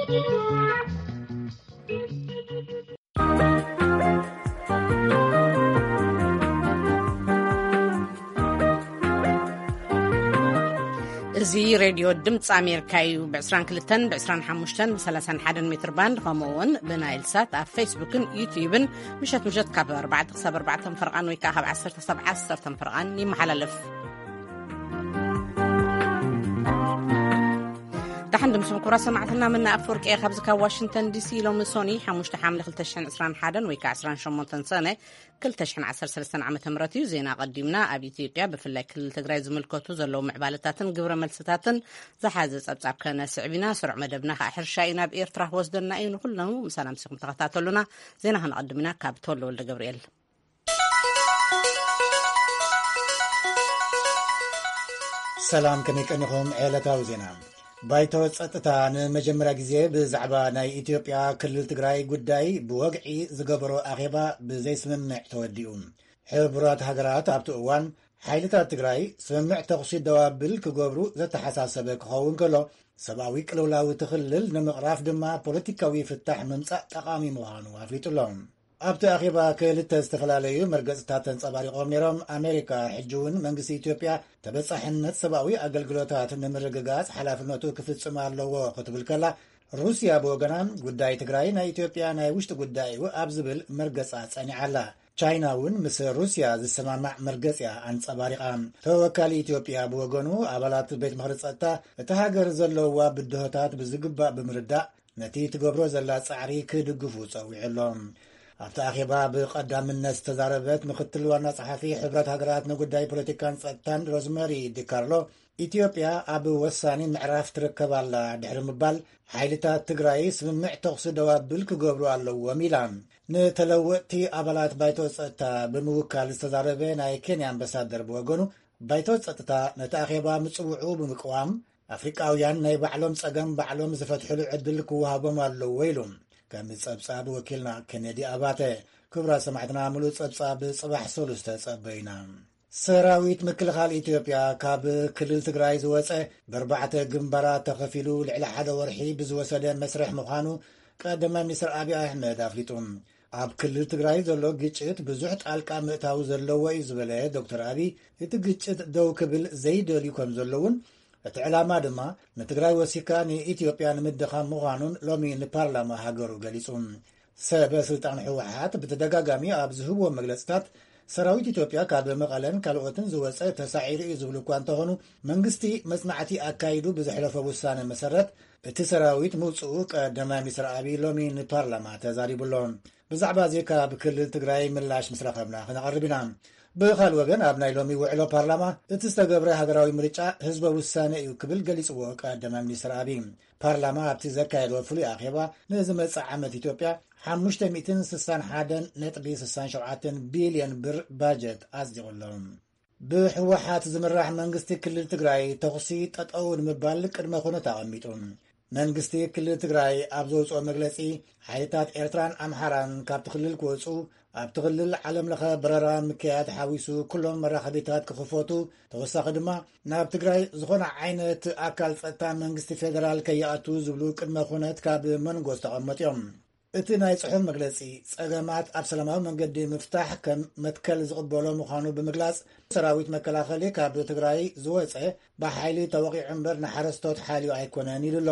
እዚ ሬድዮ ድምፂ ኣሜሪካ እዩ። ብ22፣ ብ25፣ ብ31 ሜትር ባንድ፣ ከምኡ እውን ብናይል ሳት ኣብ ፌስቡክን ዩትዩብን ምሸት ምሸት ካብ ኣርባዕተ ክሳብ ኣርባዕተ ፈርቓን ወይ ከዓ ካብ ዓሰርተ ክሳብ ዓሰርተ ፈርቓን ይመሓላለፍ። ደሓን ድምስም ኩራ ሰማዕትና፣ ምና ኣፈወርቂ እየ ካብዚ ካብ ዋሽንግተን ዲሲ። ሎሚ ሶኒ ሓሙሽተ ሓምለ ክልተ ሽሕን ዕስራን ሓደን ወይ ከዓ ዕስራን ሸሞንተን ሰነ ክልተ ሽሕን ዓሰርተ ሰለስተን ዓመተ ምህረት እዩ። ዜና ቀዲምና። ኣብ ኢትዮጵያ ብፍላይ ክልል ትግራይ ዝምልከቱ ዘለዉ ምዕባለታትን ግብረ መልስታትን ዝሓዘ ጸብጻብ ከነስዕብ ኢና። ስሩዕ መደብና ከዓ ሕርሻ እዩ ናብ ኤርትራ ክወስደና እዩ። ንኩሎም ምሳና ምሲኹም ተኸታተሉና። ዜና ከነቐድም ኢና ካብ ተወልደ ወልደ ገብርኤል። ሰላም፣ ከመይ ቀኒኹም? ዕለታዊ ዜና። ባይቶ ጸጥታ ንመጀመርያ ግዜ ብዛዕባ ናይ ኢትዮጵያ ክልል ትግራይ ጉዳይ ብወግዒ ዝገበሮ ኣኼባ ብዘይስምምዕ ተወዲኡ። ሕቡራት ሃገራት ኣብቲ እዋን ሓይልታት ትግራይ ስምምዕ ተኹሲ ደው ኣብል ክገብሩ ዘተሓሳሰበ ክኸውን ከሎ፣ ሰብኣዊ ቅልውላው እቲ ክልል ንምቕራፍ ድማ ፖለቲካዊ ፍታሕ ምምጻእ ጠቓሚ ምዃኑ ኣፍሊጡ ኣሎ። ኣብቲ ኣኼባ ክልተ ዝተፈላለዩ መርገጽታት ተንጸባሪቖም ነይሮም። ኣሜሪካ ሕጂ እውን መንግስቲ ኢትዮጵያ ተበጻሕነት ሰብኣዊ ኣገልግሎታት ንምርግጋጽ ሓላፍነቱ ክፍጽም ኣለዎ ክትብል ከላ፣ ሩስያ ብወገና ጉዳይ ትግራይ ናይ ኢትዮጵያ ናይ ውሽጢ ጉዳይ እዩ ኣብ ዝብል መርገጻ ጸኒዓ ኣላ። ቻይና እውን ምስ ሩስያ ዝሰማማዕ መርገጽ እያ ኣንጸባሪቓ። ተወካሊ ኢትዮጵያ ብወገኑ፣ ኣባላት ቤት ምኽሪ ጸጥታ እቲ ሃገር ዘለዋ ብድሆታት ብዝግባእ ብምርዳእ ነቲ ትገብሮ ዘላ ጻዕሪ ክድግፉ ጸዊዑ ኣሎ። ኣብቲ ኣኼባ ብቐዳምነት ዝተዛረበት ምክትል ዋና ጸሓፊ ሕብረት ሃገራት ንጉዳይ ፖለቲካን ጸጥታን ሮዝመሪ ዲካርሎ፣ ኢትዮጵያ ኣብ ወሳኒ ምዕራፍ ትርከብ ኣላ ድሕሪ ምባል፣ ሓይልታት ትግራይ ስምምዕ ተኹሲ ደው ኣብል ክገብሩ ኣለዎም ኢላ። ንተለወጥቲ ኣባላት ባይቶ ጸጥታ ብምውካል ዝተዛረበ ናይ ኬንያ ኣምባሳደር ብወገኑ፣ ባይቶ ጸጥታ ነቲ ኣኼባ ምጽውዑ ብምቅዋም፣ ኣፍሪቃውያን ናይ ባዕሎም ጸገም ባዕሎም ዝፈትሕሉ ዕድል ክወሃቦም ኣለዎ ኢሉ። ከም ጸብጻብ ወኪልና ኬኔዲ ኣባተ። ክቡራት ሰማዕትና፣ ምሉእ ጸብጻብ ጽባሕ ሰሉስ ተጸበዩና። ሰራዊት ምክልኻል ኢትዮጵያ ካብ ክልል ትግራይ ዝወጸ፣ ብኣርባዕተ ግንባራት ተኸፊሉ ልዕሊ ሓደ ወርሒ ብዝወሰደ መስርሕ ምዃኑ ቀዳማይ ሚኒስትር ኣብይ ኣሕመድ ኣፍሊጡ። ኣብ ክልል ትግራይ ዘሎ ግጭት ብዙሕ ጣልቃ ምእታው ዘለዎ እዩ ዝበለ ዶክተር ኣብይ፣ እቲ ግጭት ደው ክብል ዘይደልዩ ከም ዘለውን፣ እቲ ዕላማ ድማ ንትግራይ ወሲካ ንኢትዮጵያ ንምድኻም ምዃኑን ሎሚ ንፓርላማ ሃገሩ ገሊጹ። ሰበ ስልጣን ህወሓት ብተደጋጋሚ ኣብ ዝህብዎ መግለጽታት፣ ሰራዊት ኢትዮጵያ ካብ መቐለን ካልኦትን ዝወጸ ተሳዒሩ እዩ ዝብሉ እኳ እንተኾኑ፣ መንግስቲ መጽናዕቲ ኣካይዱ ብዘሕለፎ ውሳነ መሰረት እቲ ሰራዊት ምውጽኡ ቀዳማይ ሚኒስትር ኣብይ ሎሚ ንፓርላማ ተዛሪቡ ኣሎ። ብዛዕባ እዚ ካብ ክልል ትግራይ ምላሽ ምስ ረኸብና ክነቐርብ ኢና። ብኻል ወገን፣ ኣብ ናይ ሎሚ ውዕሎ ፓርላማ፣ እቲ ዝተገብረ ሃገራዊ ምርጫ ህዝበ ውሳነ እዩ ክብል ገሊጽዎ ቀዳማይ ሚኒስትር ኣብይ። ፓርላማ ኣብቲ ዘካየዶ ፍሉይ ኣኼባ፣ ንዝመጽእ ዓመት ኢትዮጵያ ሓሙሽተ ሚእትን ስሳን ሓደን ነጥቢ ስሳን ሸውዓተን ቢልዮን ብር ባጀት ኣጽዲቑ ኣሎ። ብህወሓት ዝምራሕ መንግስቲ ክልል ትግራይ ተኹሲ ጠጠው ንምባል ቅድመ ኩነት ኣቐሚጡ። መንግስቲ ክልል ትግራይ ኣብ ዘውፅኦ መግለፂ፣ ሓይልታት ኤርትራን ኣምሓራን ካብቲ ክልል ክወፁ፣ ኣብቲ ክልል ዓለም ለኸ በረራ ምክያድ ሓዊሱ ኩሎም መራኸቢታት ክኽፈቱ፣ ተወሳኺ ድማ ናብ ትግራይ ዝኾነ ዓይነት ኣካል ጸጥታ መንግስቲ ፌደራል ከይኣቱ ዝብሉ ቅድመ ኩነት ካብ መንጎ ዝተቐመጡ እዮም። እቲ ናይ ጽሑፍ መግለጺ፣ ጸገማት ኣብ ሰላማዊ መንገዲ ምፍታሕ ከም መትከል ዝቕበሎ ምዃኑ ብምግላጽ፣ ሰራዊት መከላኸሊ ካብ ትግራይ ዝወጸ ብሓይሊ ተወቒዑ እምበር ንሓረስቶት ሓልዩ ኣይኮነን ኢሉ ኣሎ።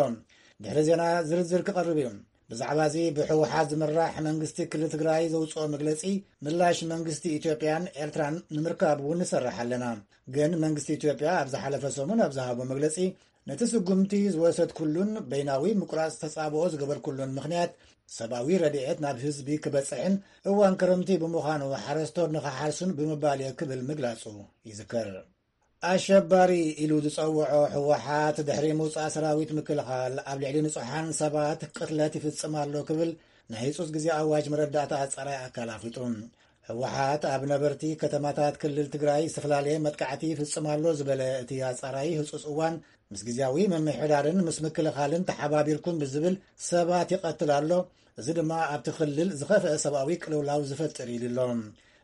ድሕሪ ዜና ዝርዝር ክቐርብ እዩ። ብዛዕባ እዚ ብህወሓት ዝምራሕ መንግስቲ ክልል ትግራይ ዘውፅኦ መግለፂ፣ ምላሽ መንግስቲ ኢትዮጵያን ኤርትራን ንምርካብ እውን ንሰርሕ ኣለና። ግን መንግስቲ ኢትዮጵያ ኣብ ዝሓለፈ ሰሙን ኣብ ዝሃቦ መግለፂ፣ ነቲ ስጉምቲ ዝወሰድኩሉን በይናዊ ምቁራፅ ተፃብኦ ዝገበርኩሉን ምኽንያት፣ ሰብኣዊ ረድኤት ናብ ህዝቢ ክበፅሕን እዋን ክረምቲ ብምዃኑ ሓረስቶት ንኽሓርሱን ብምባል እየ ክብል ምግላፁ ይዝከር። ኣሸባሪ ኢሉ ዝፀውዖ ህወሓት፣ ድሕሪ ምውፃእ ሰራዊት ምክልኻል ኣብ ልዕሊ ንፁሓን ሰባት ቅትለት ይፍፅም ኣሎ ክብል ናይ ህፁፅ ግዜ ኣዋጅ መረዳእታ ኣፃራይ ኣካል ኣፍሊጡ። ህወሓት ኣብ ነበርቲ ከተማታት ክልል ትግራይ ዝተፈላለየ መጥቃዕቲ ይፍፅም ኣሎ ዝበለ እቲ ኣፃራይ፣ ህፁፅ እዋን ምስ ግዜያዊ ምምሕዳርን ምስ ምክልኻልን ተሓባቢርኩም ብዝብል ሰባት ይቐትል ኣሎ። እዚ ድማ ኣብቲ ክልል ዝኸፍአ ሰብኣዊ ቅልውላው ዝፈጥር ኢሉ ኣሎ።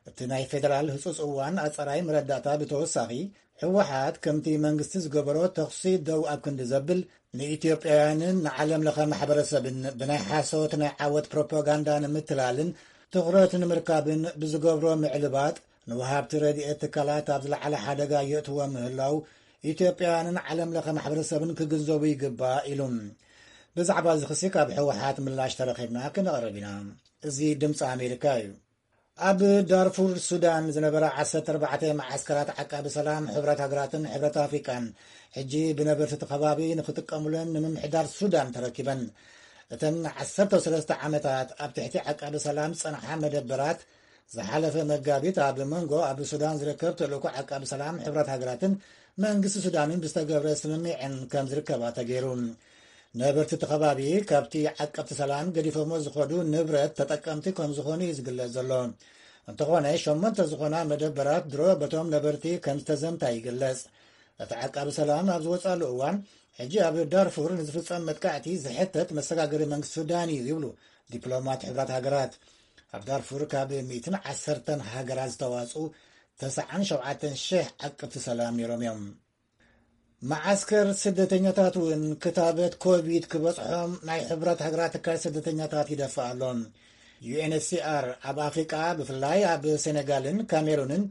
እቲ ናይ ፌደራል ህጹጽ እዋን ኣጸራይ መረዳእታ ብተወሳኺ፣ ህወሓት ከምቲ መንግስቲ ዝገበሮ ተኹሲ ደው ኣብ ክንዲ ዘብል፣ ንኢትዮጵያውያንን ንዓለም ለኸ ማሕበረሰብን ብናይ ሓሶት ናይ ዓወት ፕሮፓጋንዳ ንምትላልን ትኹረት ንምርካብን ብዝገብሮ ምዕልባጥ፣ ንወሃብቲ ረድኤት ትካላት ኣብ ዝለዓለ ሓደጋ የእትዎም ምህላው፣ ኢትዮጵያውያንን ዓለም ለኸ ማሕበረሰብን ክግንዘቡ ይግባእ ኢሉ። ብዛዕባ እዚ ክሲ ካብ ህወሓት ምላሽ ተረኺብና ክነቕርብ ኢና። እዚ ድምፂ ኣሜሪካ እዩ። ኣብ ዳርፉር ሱዳን ዝነበራ ዓሰርተ ኣርባዕተ መዓስከራት ዓቃቢ ሰላም ሕብረት ሃገራትን ሕብረት ኣፍሪቃን፣ ሕጂ ብነበርቲ እቲ ከባቢ ንክጥቀሙለን ንምምሕዳር ሱዳን ተረኪበን። እተን ዓሰርተ ሰለስተ ዓመታት ኣብ ትሕቲ ዓቃቢ ሰላም ዝጸንሓ መደበራት፣ ዝሓለፈ መጋቢት ኣብ መንጎ ኣብ ሱዳን ዝርከብ ተልእኮ ዓቃቢ ሰላም ሕብረት ሃገራትን መንግስቲ ሱዳንን ብዝተገብረ ስምምዕን ከም ዝርከባ ተገይሩ። ነበርቲ እቲ ከባቢ ካብቲ ዓቀብቲ ሰላም ገዲፎሞ ዝኸዱ ንብረት ተጠቀምቲ ከም ዝኾኑ እዩ ዝግለጽ ዘሎ። እንተኾነ፣ ሸሞንተ ዝኾና መደበራት ድሮ በቶም ነበርቲ ከም ዝተዘምታ ይግለጽ። እቲ ዓቃቢ ሰላም ኣብ ዝወጻሉ እዋን፣ ሕጂ ኣብ ዳርፉር ንዝፍጸም መጥቃዕቲ ዝሕተት መሰጋገሪ መንግስቲ ሱዳን እዩ ይብሉ ዲፕሎማት ሕብራት ሃገራት። ኣብ ዳርፉር ካብ ሚእትን ዓሰርተን ሃገራት ዝተዋጽኡ ተስዓን ሸውዓተን ሽሕ ዓቀብቲ ሰላም ነይሮም እዮም። መዓስከር ስደተኛታት እውን ክታበት ኮቪድ ክበጽሖም ናይ ሕብራት ሃገራት ትካል ስደተኛታት ይደፍእ ኣሎ። ዩ ኤን ኤች ሲ ኣር ኣብ ኣፍሪቃ፣ ብፍላይ ኣብ ሴኔጋልን ካሜሩንን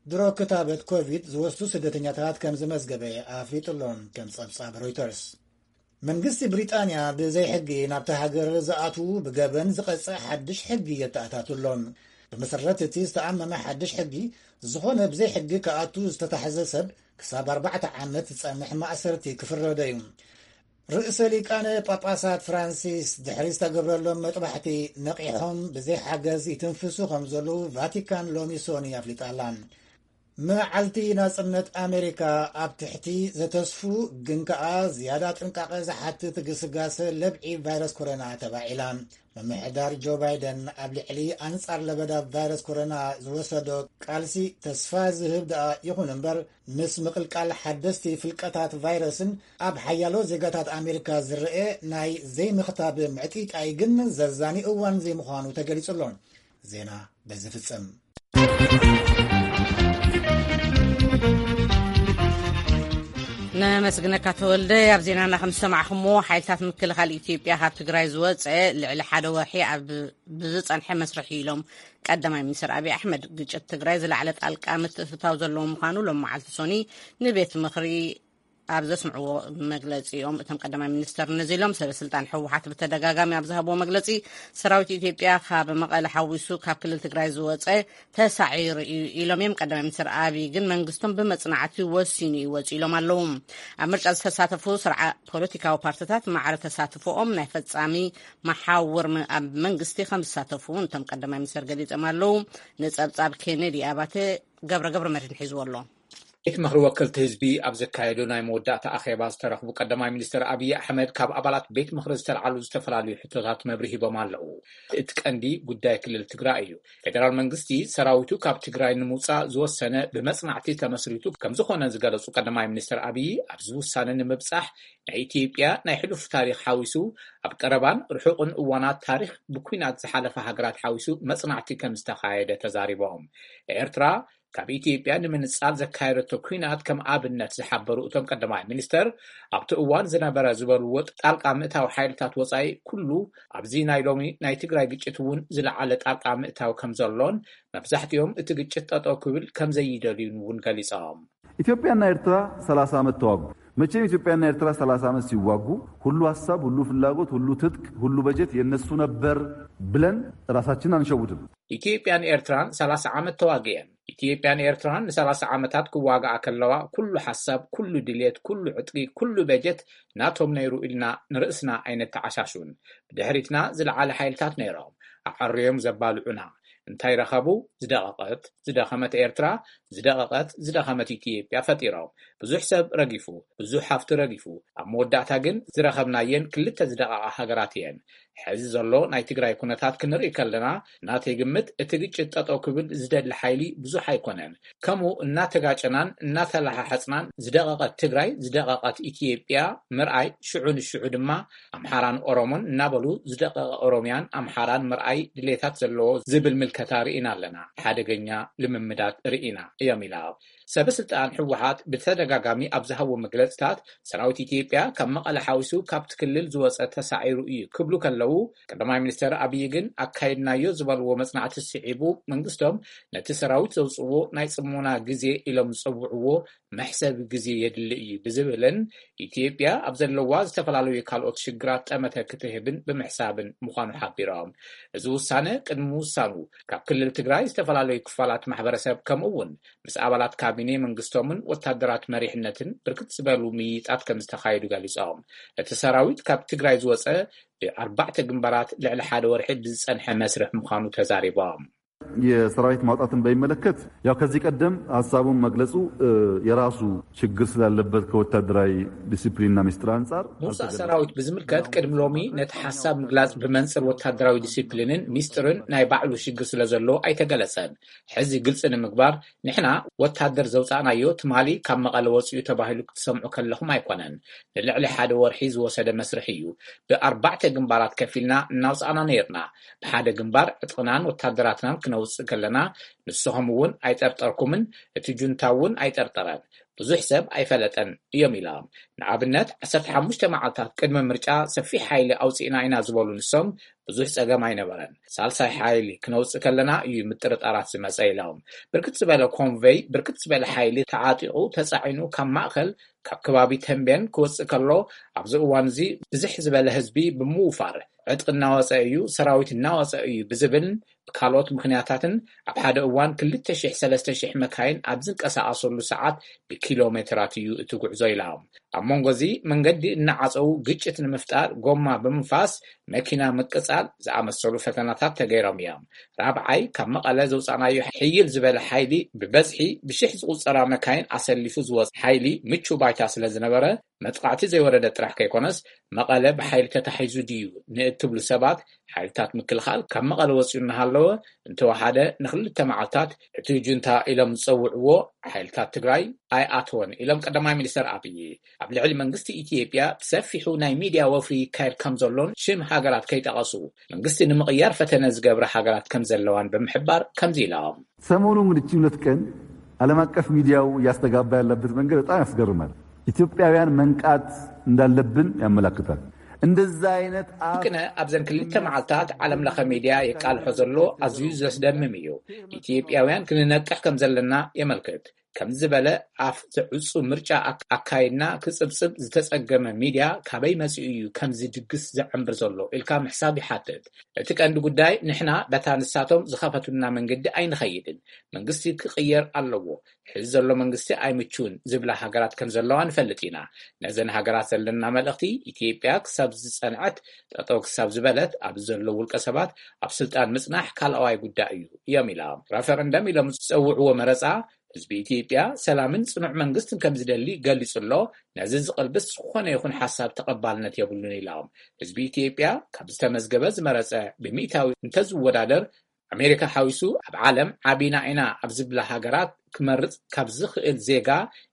ድሮ ክታበት ኮቪድ ዝወስዱ ስደተኛታት ከም ዝመዝገበ ኣፍሊጡ ኣሎ፣ ከም ጸብጻብ ሮይተርስ። መንግስቲ ብሪጣንያ ብዘይ ሕጊ ናብቲ ሃገር ዝኣትዉ ብገበን ዝቐጽዕ ሓድሽ ሕጊ የተኣታቱ ኣሎ። ብመሰረት እቲ ዝተኣመመ ሓድሽ ሕጊ፣ ዝኾነ ብዘይ ሕጊ ክኣቱ ዝተታሕዘ ሰብ ክሳብ ኣርባዕተ ዓመት ዝጸንሕ ማእሰርቲ ክፍረዶ እዩ። ርእሰ ሊቃነ ጳጳሳት ፍራንሲስ ድሕሪ ዝተገብረሎም መጥባሕቲ ነቒሖም ብዘይ ሓገዝ ይትንፍሱ ከም ዘለዉ ቫቲካን ሎሚ ሶኒ ኣፍሊጣ ኣላ። መዓልቲ ናጽነት ኣሜሪካ ኣብ ትሕቲ ዘተስፉ ግን ከኣ ዝያዳ ጥንቃቐ ዝሓትት ግስጋሰ ለብዒ ቫይረስ ኮሮና ተባዒላ። ምምሕዳር ጆ ባይደን ኣብ ልዕሊ ኣንጻር ለበዳ ቫይረስ ኮሮና ዝወሰዶ ቃልሲ ተስፋ ዝህብ ደኣ ይኹን እምበር፣ ምስ ምቕልቃል ሓደስቲ ፍልቀታት ቫይረስን ኣብ ሓያሎ ዜጋታት ኣሜሪካ ዝረአ ናይ ዘይምኽታብ ምዕጢጣይ ግን ዘዛኒ እዋን ዘይምዃኑ ተገሊጹ ኣሎ። ዜና በዚ ፍጽም። ነመስግነካ ተወልደ። ኣብ ዜናና ከም ዝሰማዕኹምዎ፣ ሓይልታት ምክልኻል ኢትዮጵያ ካብ ትግራይ ዝወፀ ልዕሊ ሓደ ወርሒ ኣብ ብዝፀንሐ መስርሕ ኢሎም ቀዳማይ ሚኒስትር ኣብይ ኣሕመድ። ግጭት ትግራይ ዝለዓለ ጣልቃ ምትእትታው ዘለዎ ምዃኑ ሎም መዓልቲ ሶኒ ንቤት ምኽሪ ኣብ ዘስምዕዎ መግለፂኦም፣ እቶም ቀዳማይ ሚኒስተር ነዚ ኢሎም። ሰበ ስልጣን ህወሓት ብተደጋጋሚ ኣብ ዝሃብዎ መግለፂ፣ ሰራዊት ኢትዮጵያ ካብ መቐለ ሓዊሱ ካብ ክልል ትግራይ ዝወፀ ተሳዒሩ እዩ ኢሎም እዮም። ቀዳማይ ሚኒስተር ኣብይ ግን መንግስቶም ብመፅናዕቲ ወሲኑ እዩ ወፂኡ ኢሎም ኣለዉ። ኣብ ምርጫ ዝተሳተፉ ስርዓ ፖለቲካዊ ፓርቲታት ማዕረ ተሳትፎኦም ናይ ፈፃሚ መሓውር መ-፣ ኣብ መንግስቲ ከም ዝሳተፉ እውን እቶም ቀዳማይ ሚኒስተር ገሊፆም ኣለዉ። ንፀብፃብ ኬኔዲ ኣባተ ገብረ ገብረ መድህን ሒዝዎ ኣሎ። ቤት ምኽሪ ወከልቲ ህዝቢ ኣብ ዘካየዶ ናይ መወዳእታ ኣኼባ ዝተረኽቡ ቀዳማይ ሚኒስትር ኣብይ ኣሕመድ፣ ካብ ኣባላት ቤት ምኽሪ ዝተልዓሉ ዝተፈላለዩ ሕቶታት መብርሂ ሂቦም ኣለዉ። እቲ ቀንዲ ጉዳይ ክልል ትግራይ እዩ። ፌደራል መንግስቲ ሰራዊቱ ካብ ትግራይ ንምውፃእ ዝወሰነ ብመፅናዕቲ ተመስሪቱ ከም ዝኾነ ዝገለፁ ቀዳማይ ሚኒስትር ኣብይ፣ ኣብዚ ውሳነ ንምብፃሕ ናይ ኢትዮጵያ ናይ ሕሉፍ ታሪኽ ሓዊሱ ኣብ ቀረባን ርሑቕን እዋናት ታሪኽ ብኲናት ዝሓለፋ ሃገራት ሓዊሱ መፅናዕቲ ከም ዝተኻየደ ተዛሪቦም። ኤርትራ ካብ ኢትዮጵያ ንምንጻል ዘካየደቶ ኲናት ከም ኣብነት ዝሓበሩ እቶም ቀዳማይ ሚኒስተር፣ ኣብቲ እዋን ዝነበረ ዝበልዎ ጣልቃ ምእታው ሓይልታት ወጻኢ ኩሉ ኣብዚ ናይ ሎሚ ናይ ትግራይ ግጭት እውን ዝለዓለ ጣልቃ ምእታው ከም ዘሎን መብዛሕትኦም እቲ ግጭት ጠጠው ክብል ከም ዘይደልዩን እውን ገሊጾም። ኢትዮጵያና ኤርትራ ሰላሳ ዓመት ተዋጉ። መቼም ኢትዮጵያና ኤርትራ ሰላሳ ዓመት ሲዋጉ ሁሉ ሐሳብ፣ ሁሉ ፍላጎት፣ ሁሉ ትጥቅ፣ ሁሉ በጀት የነሱ ነበር ብለን ራሳችንን አንሸውድም። ኢትዮጵያን ኤርትራን ሰላሳ ዓመት ተዋግየን። ኢትዮጵያን ኤርትራን ንሰላሳ ዓመታት ክዋግኣ ከለዋ ኩሉ ሐሳብ፣ ኩሉ ድሌት፣ ኩሉ ዕጥቂ፣ ኩሉ በጀት ናቶም ነይሩ ኢልና ንርእስና ኣይነተዓሻሹን። ብድሕሪትና ዝለዓለ ሓይልታት ነይሮም፣ ኣዐርዮም ዘባልዑና። እንታይ ረኸቡ? ዝደቐቐት፣ ዝደኸመት ኤርትራ፣ ዝደቐቐት፣ ዝደኸመት ኢትዮጵያ ፈጢሮም። ብዙሕ ሰብ ረጊፉ፣ ብዙሕ ሃፍቲ ረጊፉ። ኣብ መወዳእታ ግን ዝረኸብናየን ክልተ ዝደቐቓ ሃገራት እየን። ሕዚ ዘሎ ናይ ትግራይ ኩነታት ክንርኢ ከለና፣ ናተይ ግምት እቲ ግጭት ጠጠው ክብል ዝደሊ ሓይሊ ብዙሕ ኣይኮነን። ከምኡ እናተጋጨናን እናተለሓሓጽናን ዝደቐቐት ትግራይ፣ ዝደቐቐት ኢትዮጵያ ምርኣይ፣ ሽዑ ንሽዑ ድማ ኣምሓራን ኦሮሞን እናበሉ ዝደቐቐ ኦሮሚያን ኣምሓራን ምርኣይ ድሌታት ዘለዎ ዝብል ምልከታ ከታ ርኢና ኣለና፣ ሓደገኛ ልምምዳት ርኢና እዮም ኢላ። ሰበ ስልጣን ህወሓት ብተደጋጋሚ ኣብ ዝሃቦ መግለጽታት፣ ሰራዊት ኢትዮጵያ ካብ መቐለ ሓዊሱ ካብቲ ክልል ዝወጸ ተሳዒሩ እዩ ክብሉ ከለዉ፣ ቀዳማይ ሚኒስተር ኣብይ ግን ኣካይድናዮ ዝበልዎ መጽናዕቲ ስዒቡ፣ መንግስቶም ነቲ ሰራዊት ዘውጽዎ ናይ ጽሞና ግዜ ኢሎም ዝጸውዕዎ መሕሰቢ ግዜ የድሊ እዩ ብዝብልን፣ ኢትዮጵያ ኣብ ዘለዋ ዝተፈላለዩ ካልኦት ሽግራት ጠመተ ክትህብን ብምሕሳብን ምዃኑ ሓቢሮም። እዚ ውሳነ ቅድሚ ምውሳኑ፣ ካብ ክልል ትግራይ ዝተፈላለዩ ክፋላት ማሕበረሰብ፣ ከምኡ እውን ምስ ኣባላት ካቢኔ መንግስቶምን ወታደራት መሪሕነትን ብርክት ዝበሉ ምይይጣት ከም ዝተኻየዱ ገሊጾም። እቲ ሰራዊት ካብ ትግራይ ዝወጸ ብኣርባዕተ ግንባራት ልዕሊ ሓደ ወርሒ ብዝጸንሐ መስርሕ ምዃኑ ተዛሪቦም። የሰራዊት ማውጣትን በሚመለከት፣ ያው ከዚህ ቀደም ሀሳቡን መግለጹ የራሱ ችግር ስላለበት ከወታደራዊ ዲሲፕሊንና ሚስጥር አንጻር ምውፃእ ሰራዊት ብዝምልከት፣ ቅድሚ ሎሚ ነቲ ሓሳብ ምግላጽ ብመንጽር ወታደራዊ ዲሲፕሊንን ሚስጥርን ናይ ባዕሉ ሽግር ስለ ዘሎ ኣይተገለጸን። ሕዚ ግልጺ ንምግባር፣ ንሕና ወታደር ዘውፃእናዮ ትማሊ ካብ መቐለ ወፂኡ ተባሂሉ ክትሰምዑ ከለኹም ኣይኮነን። ንልዕሊ ሓደ ወርሒ ዝወሰደ መስርሕ እዩ። ብኣርባዕተ ግንባራት ከፊልና እናውፃእና ነይርና። ብሓደ ግንባር ዕጥቕናን ወታደራትናን ክነውፅእ ከለና፣ ንስኹም እውን ኣይጠርጠርኩምን፣ እቲ ጁንታ እውን ኣይጠርጠረን። ብዙሕ ሰብ ኣይፈለጠን እዮም ኢሎም። ንኣብነት፣ ዓሰርተ ሓሙሽተ መዓልታት ቅድሚ ምርጫ ሰፊሕ ሓይሊ ኣውፂእና ኢና ዝበሉ ንሶም፣ ብዙሕ ጸገም ኣይነበረን። ሳልሳይ ሓይሊ ክነውፅእ ከለና እዩ ምጥርጣራት ዝመጸ ኢሎም። ብርክት ዝበለ ኮንቨይ፣ ብርክት ዝበለ ሓይሊ ተዓጢቑ ተጻዒኑ ካብ ማእኸል፣ ካብ ከባቢ ተንቤን ክወፅእ ከሎ፣ ኣብዚ እዋን እዚ ብዝሕ ዝበለ ህዝቢ ብምውፋር፣ ዕጥቂ እናወፀ እዩ፣ ሰራዊት እናወፀ እዩ ብዝብል ካልኦት ምኽንያታትን፣ ኣብ ሓደ እዋን ክልተ ሽሕ ሰለስተ ሽሕ መካይን ኣብ ዝንቀሳቐሰሉ ሰዓት ብኪሎ ሜትራት እዩ እቲ ጉዕዞ ኢሎም። ኣብ መንጎ እዚ መንገዲ እናዓፀዉ ግጭት ንምፍጣር ጎማ ብምንፋስ መኪና ምቅፃል ዝኣመሰሉ ፈተናታት ተገይሮም እዮም። ራብዓይ፣ ካብ መቐለ ዘውፃእናዮ ሕይል ዝበለ ሓይሊ፣ ብበዝሒ ብሽሕ ዝቑፀራ መካይን ኣሰሊፉ ዝወፅ ሓይሊ ምቹ ባይታ ስለ ዝነበረ፣ መጥቃዕቲ ዘይወረደ ጥራሕ ከይኮነስ፣ መቐለ ብሓይሊ ተታሒዙ ድዩ ንእትብሉ ሰባት፣ ሓይልታት ምክልኻል ካብ መቐለ ወፂኡ እናሃለወ፣ እንተወሓደ ንክልተ መዓልታት እቲ ጁንታ ኢሎም ዝፀውዕዎ ሓይልታት ትግራይ ኣይኣተወን ኢሎም ቀዳማይ ሚኒስተር ኣብይ። ኣብ ልዕሊ መንግስቲ ኢትዮጵያ ብሰፊሑ ናይ ሚድያ ወፍሪ ይካየድ ከም ዘሎን ሽም ሃገራት ከይጠቐሱ፣ መንግስቲ ንምቕያር ፈተነ ዝገብራ ሃገራት ከም ዘለዋን ብምሕባር ከምዚ ኢሎም። ሰሞኑ እንግዲህ እቺ ሁለት ቀን ዓለም አቀፍ ሚዲያው እያስተጋባ ያለበት መንገድ በጣም ያስገርማል። ኢትዮጵያውያን መንቃት እንዳለብን ያመላክታል። እንደዛ አይነት ግነ ኣብዘን ክልተ መዓልታት ዓለም ለኸ ሚድያ የቃልሖ ዘሎ ኣዝዩ ዘስደምም እዩ። ኢትዮጵያውያን ክንነቅሕ ከም ዘለና የመልክት። ከም ዝበለ ኣፍ ዘዕጹ ምርጫ ኣካይድና ክጽብጽብ ዝተጸገመ ሚድያ ካበይ መጺኡ እዩ ከምዚ ድግስ ዘዐምብር ዘሎ ኢልካ ምሕሳብ ይሓትት። እቲ ቀንዲ ጉዳይ ንሕና በታ ንሳቶም ዝኸፈቱና መንገዲ ኣይንኸይድን። መንግስቲ ክቕየር ኣለዎ። ሕዚ ዘሎ መንግስቲ ኣይምችውን ዝብላ ሃገራት ከም ዘለዋ ንፈልጥ ኢና። ነዘን ሃገራት ዘለና መልእኽቲ፣ ኢትዮጵያ ክሳብ ዝጸንዐት፣ ጠጠው ክሳብ ዝበለት፣ ኣብዚ ዘለዉ ውልቀ ሰባት ኣብ ስልጣን ምጽናሕ ካልኣዋይ ጉዳይ እዩ እዮም ኢሎም። ረፈረንደም ኢሎም ዝጸውዕዎ መረጻ፣ ህዝቢ ኢትዮጵያ ሰላምን ጽኑዕ መንግስትን ከም ዝደሊ ገሊጹ ኣሎ። ነዚ ዝቕልብስ ዝኾነ ይኹን ሓሳብ ተቐባልነት የብሉን ኢሎም። ህዝቢ ኢትዮጵያ ካብ ዝተመዝገበ ዝመረጸ ብሚእታዊ እንተዝወዳደር፣ ኣሜሪካ ሓዊሱ ኣብ ዓለም ዓቢና ኢና ኣብ ዝብላ ሃገራት ክመርጽ ካብ ዝኽእል ዜጋ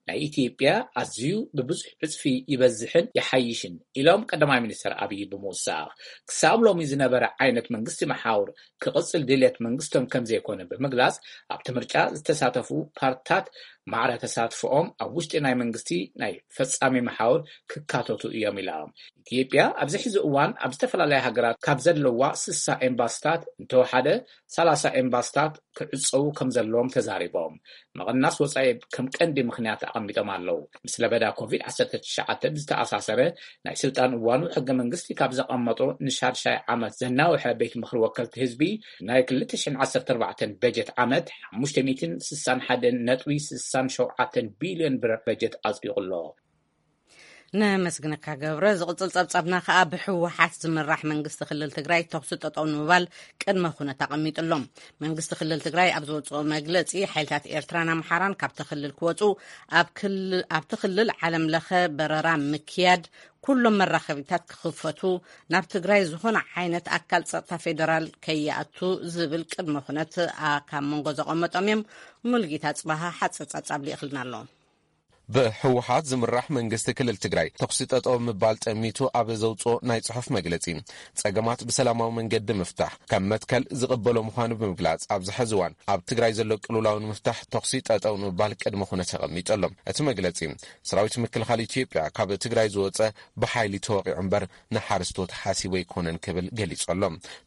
ናይ ኢትዮጵያ ኣዝዩ ብብዙሕ ዕጽፊ ይበዝሕን ይሓይሽን ኢሎም ቀዳማይ ሚኒስተር ኣብይ ብምውሳኽ፣ ክሳብ ሎሚ ዝነበረ ዓይነት መንግስቲ መሓውር ክቕጽል ድልየት መንግስቶም ከም ዘይኮነ ብምግላጽ፣ ኣብቲ ምርጫ ዝተሳተፉ ፓርትታት ማዕረ ተሳትፎኦም ኣብ ውሽጢ ናይ መንግስቲ ናይ ፈጻሚ መሓውር ክካተቱ እዮም ኢሎም። ኢትዮጵያ ኣብዚ ሕዚ እዋን ኣብ ዝተፈላለያ ሃገራት ካብ ዘለዋ ስሳ ኤምባስታት እንተወሓደ ሰላሳ ኤምባስታት ክዕጸዉ ከም ዘለዎም ተዛሪቦም። ምቕናስ ወጻኢ ከም ቀንዲ ምኽንያት ኣቐሚጦም ኣለዉ። ምስ ለበዳ ኮቪድ ዓሰርተ ትሽዓተ ብዝተኣሳሰረ ናይ ስልጣን እዋኑ ሕገ መንግስቲ ካብ ዘቐመጦ ንሻድሻይ ዓመት ዘናውሐ ቤት ምኽሪ ወከልቲ ህዝቢ ናይ ክልተ ሽሕን ዓሰርተ ኣርባዕተን በጀት ዓመት ሓሙሽተ ሚእትን ስሳን ሓደን ነጥቢ ስሳን ሸውዓተን ቢልዮን ብር በጀት ኣጽዲቑ ኣሎ። ነመስግነካ ገብረ። ዝቕጽል ጸብጻብና ከኣ ብህወሓት ዝምራሕ መንግስቲ ክልል ትግራይ ተኹሲ ጠጠው ንምባል ቅድመ ኩነት ኣቐሚጡ ኣሎ። መንግስቲ ክልል ትግራይ ኣብ ዘውጽኦ መግለጺ፣ ሓይልታት ኤርትራን ኣምሓራን ካብቲ ክልል ክወጹ፣ ኣብ ክል-፣ ኣብቲ ክልል ዓለም ለኸ በረራ ምክያድ፣ ኩሎም መራኸቢታት ክኽፈቱ፣ ናብ ትግራይ ዝኾነ ዓይነት ኣካል ጸጥታ ፌደራል ከይኣቱ ዝብል ቅድመ ኩነት፣ ኣ፣ ካብ መንጎ ዘቐመጦም እዮም። ሙሉጌታ ጽባሃ ሓጺር ጸብጻብ ልኢኽልና ኣሎ። ብህወሓት ዝምራሕ መንግስቲ ክልል ትግራይ ተኹሲ ጠጠው ምባል ጠሚቱ ኣብ ዘውፅኦ ናይ ፅሑፍ መግለፂ፣ ፀገማት ብሰላማዊ መንገዲ ምፍታሕ ከም መትከል ዝቕበሎ ምዃኑ ብምግላፅ፣ ኣብዚ ሕዚ እዋን ኣብ ትግራይ ዘሎ ቅልውላው ንምፍታሕ ተኹሲ ጠጠው ንምባል ቅድመ ኩነት ኣቐሚጡ ኣሎ። እቲ መግለፂ፣ ሰራዊት ምክልኻል ኢትዮጵያ ካብ ትግራይ ዝወፀ ብሓይሊ ተወቒዑ እምበር ንሓረስቶት ሓሲቡ ኣይኮነን ክብል ገሊጹ ኣሎ።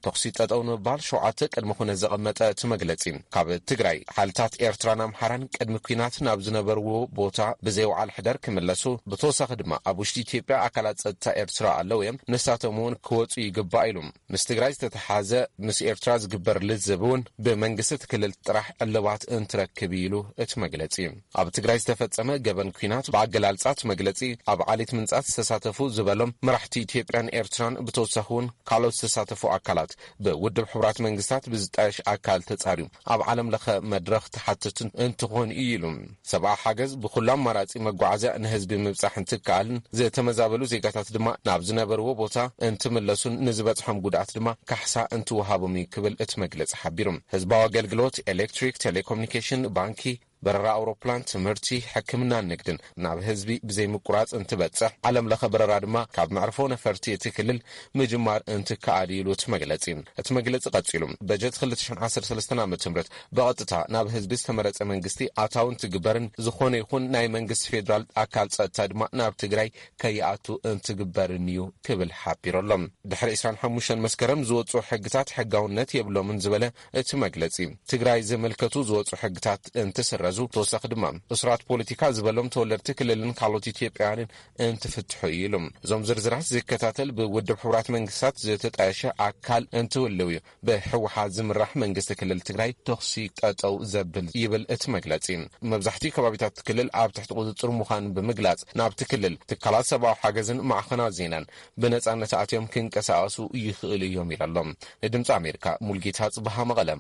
ተኹሲ ጠጠው ንምባል ሸውዓተ ቅድመ ኩነት ዘቐመጠ እቲ መግለጺ፣ ካብ ትግራይ ሓይልታት ኤርትራን ኣምሓራን ቅድሚ ኲናት ናብ ዝነበርዎ ቦታ ብዘይ ውዓል ሕደር ክምለሱ፣ ብተወሳኺ ድማ ኣብ ውሽጢ ኢትዮጵያ ኣካላት ጸጥታ ኤርትራ ኣለዉ እዮም፣ ንሳቶም እውን ክወጹ ይግባእ ኢሉ። ምስ ትግራይ ዝተተሓዘ ምስ ኤርትራ ዝግበር ልዝብ እውን ብመንግስቲ እቲ ክልል ጥራሕ ዕልባት እንትረክብ እዩ ኢሉ እቲ መግለጺ። ኣብ ትግራይ ዝተፈጸመ ገበን ኲናት ብኣገላልጻ እቲ መግለጺ ኣብ ዓሌት ምንጻት ዝተሳተፉ ዝበሎም መራሕቲ ኢትዮጵያን ኤርትራን ብተወሳኺ እውን ካልኦት ዝተሳተፉ ኣካላት ብውድብ ሕቡራት መንግስታት ብዝጣየሽ ኣካል ተጻርዩ ኣብ ዓለም ለኸ መድረኽ ተሓተቱ እንትኾን እዩ ኢሉ። ሰብኣዊ ሓገዝ ብኹሉ ኣማራጺ መጓዓዝያ ንህዝቢ ምብጻሕ እንትከኣልን ዝተመዛበሉ ዜጋታት ድማ ናብ ዝነበርዎ ቦታ እንትምለሱን ንዝበጽሖም ጉድኣት ድማ ካሕሳ እንትወሃቦም እዩ ክብል እቲ መግለጺ ሓቢሩ። ህዝባዊ ኣገልግሎት፣ ኤሌክትሪክ፣ ቴሌኮሙኒኬሽን፣ ባንኪ፣ በረራ ኣውሮፕላን፣ ትምህርቲ፣ ሕክምናን ንግድን ናብ ህዝቢ ብዘይምቁራጽ እንትበጽሕ፣ ዓለም ለኸ በረራ ድማ ካብ መዕርፎ ነፈርቲ እቲ ክልል ምጅማር እንትከኣል እዩ ኢሉ እቲ መግለጺ። እቲ መግለጺ ቀጺሉ፣ በጀት ክልተ ሽሕን ዓሰርተ ሰለስተን ዓመተ ምህረት ብቐጥታ ናብ ህዝቢ ዝተመረጸ መንግስቲ ኣታዊ እንትግበርን ዝኾነ ይኹን ናይ መንግስቲ ፌዴራል ኣካል ጸጥታ ድማ ናብ ትግራይ ከይኣቱ እንትግበርን እዩ ክብል ሓቢሩ ኣሎ። ድሕሪ ዕስራን ሓሙሽተን መስከረም ዝወጹ ሕግታት ሕጋውነት የብሎምን ዝበለ እቲ መግለጺ፣ ትግራይ ዝምልከቱ ዝወጹ ሕግታት እንትስረዙ፣ ተወሳኺ ድማ እሱራት ፖለቲካ ዝበሎም ተወለድቲ ክልልን ካልኦት ኢትዮጵያውያንን እንትፍትሑ እዩ ኢሉ። እዞም ዝርዝራት ዝከታተል ብውድብ ሕቡራት መንግስታት ዝተጣየሸ ኣካል እንትህልው እዩ ብህወሓት ዝምራሕ መንግስቲ ክልል ትግራይ ተኹሲ ጠጠው ዘብል ይብል እቲ መግለጺ። መብዛሕትኡ ከባቢታት ክልል ኣብ ትሕቲ ቁፅፅር ምዃኑ ብምግላጽ፣ ናብቲ ክልል ትካላት ሰብኣዊ ሓገዝን ማዕኸናት ዜናን ብነጻነት ኣትዮም ክንቀሳቐሱ ይኽእሉ እዮም ኢሉ ኣሎ። ንድምፂ ኣሜሪካ ሙልጌታ ጽበሃ መቐለ።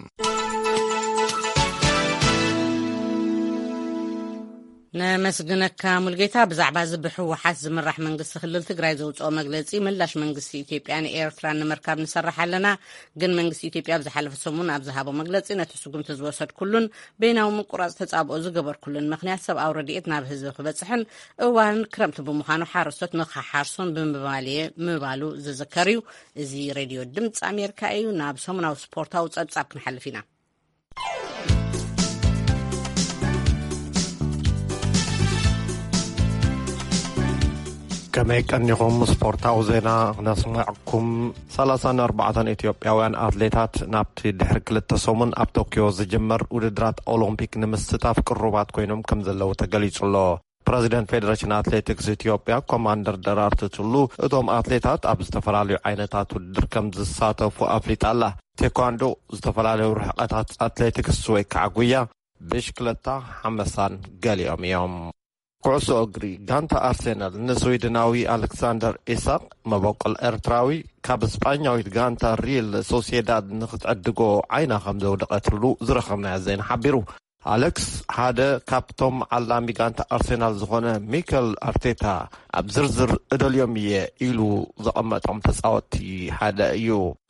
ነመስግነካ ሙልጌታ። ብዛዕባ እዚ ብህወሓት ዝምራሕ መንግስቲ ክልል ትግራይ ዘውፅኦ መግለፂ ምላሽ መንግስቲ ኢትዮጵያን ኤርትራን ንምርካብ ንሰርሕ ኣለና። ግን መንግስቲ ኢትዮጵያ ኣብ ዝሓለፈ ሰሙን ኣብ ዝሃቦ መግለፂ፣ ነቲ ስጉምቲ ዝወሰድኩሉን በይናዊ ምቁራፅ ተፃብኦ ዝገበርኩሉን ምኽንያት ሰብኣዊ ረድኤት ናብ ህዝቢ ክበፅሕን እዋን ክረምቲ ብምዃኑ ሓረስቶት ንኽሓርሱን ብምባል እየ ምባሉ ዝዝከር እዩ። እዚ ሬድዮ ድምፂ ኣሜሪካ እዩ። ናብ ሰሙናዊ ስፖርታዊ ፀብፃብ ክንሓልፍ ኢና። ከመይ ቀኒኹም? ስፖርታዊ ዜና ክነስምዐኩም። ሰላሳን ኣርባዕተን ኢትዮጵያውያን ኣትሌታት ናብቲ ድሕሪ ክልተ ሰሙን ኣብ ቶክዮ ዝጅመር ውድድራት ኦሎምፒክ ንምስታፍ ቅሩባት ኮይኖም ከም ዘለዉ ተገሊጹ ኣሎ። ፕረዚደንት ፌደሬሽን ኣትሌቲክስ ኢትዮጵያ ኮማንደር ደራርቱ ቱሉ፣ እቶም ኣትሌታት ኣብ ዝተፈላለዩ ዓይነታት ውድድር ከም ዝሳተፉ ኣፍሊጣ ኣላ። ቴኳንዶ፣ ዝተፈላለዩ ርሕቀታት ኣትሌቲክስ ወይ ከዓ ጉያ፣ ብሽክለታ፣ ሓመሳን ገሊኦም እዮም። ኩዕሶ እግሪ፣ ጋንታ ኣርሴናል ንስዊድናዊ ኣሌክሳንደር ኢሳቅ፣ መበቆል ኤርትራዊ፣ ካብ ስጳኛዊት ጋንታ ሪል ሶሲዳድ ንክትዕድጎ ዓይና ከም ዘውደቐትሉ ዝረኸብናዮ ዜና ሓቢሩ። ኣሌክስ ሓደ ካብቶም ዓላሚ ጋንታ ኣርሴናል ዝኾነ ሚከል ኣርቴታ ኣብ ዝርዝር እደልዮም እየ ኢሉ ዘቐመጦም ተጻወትቲ ሓደ እዩ።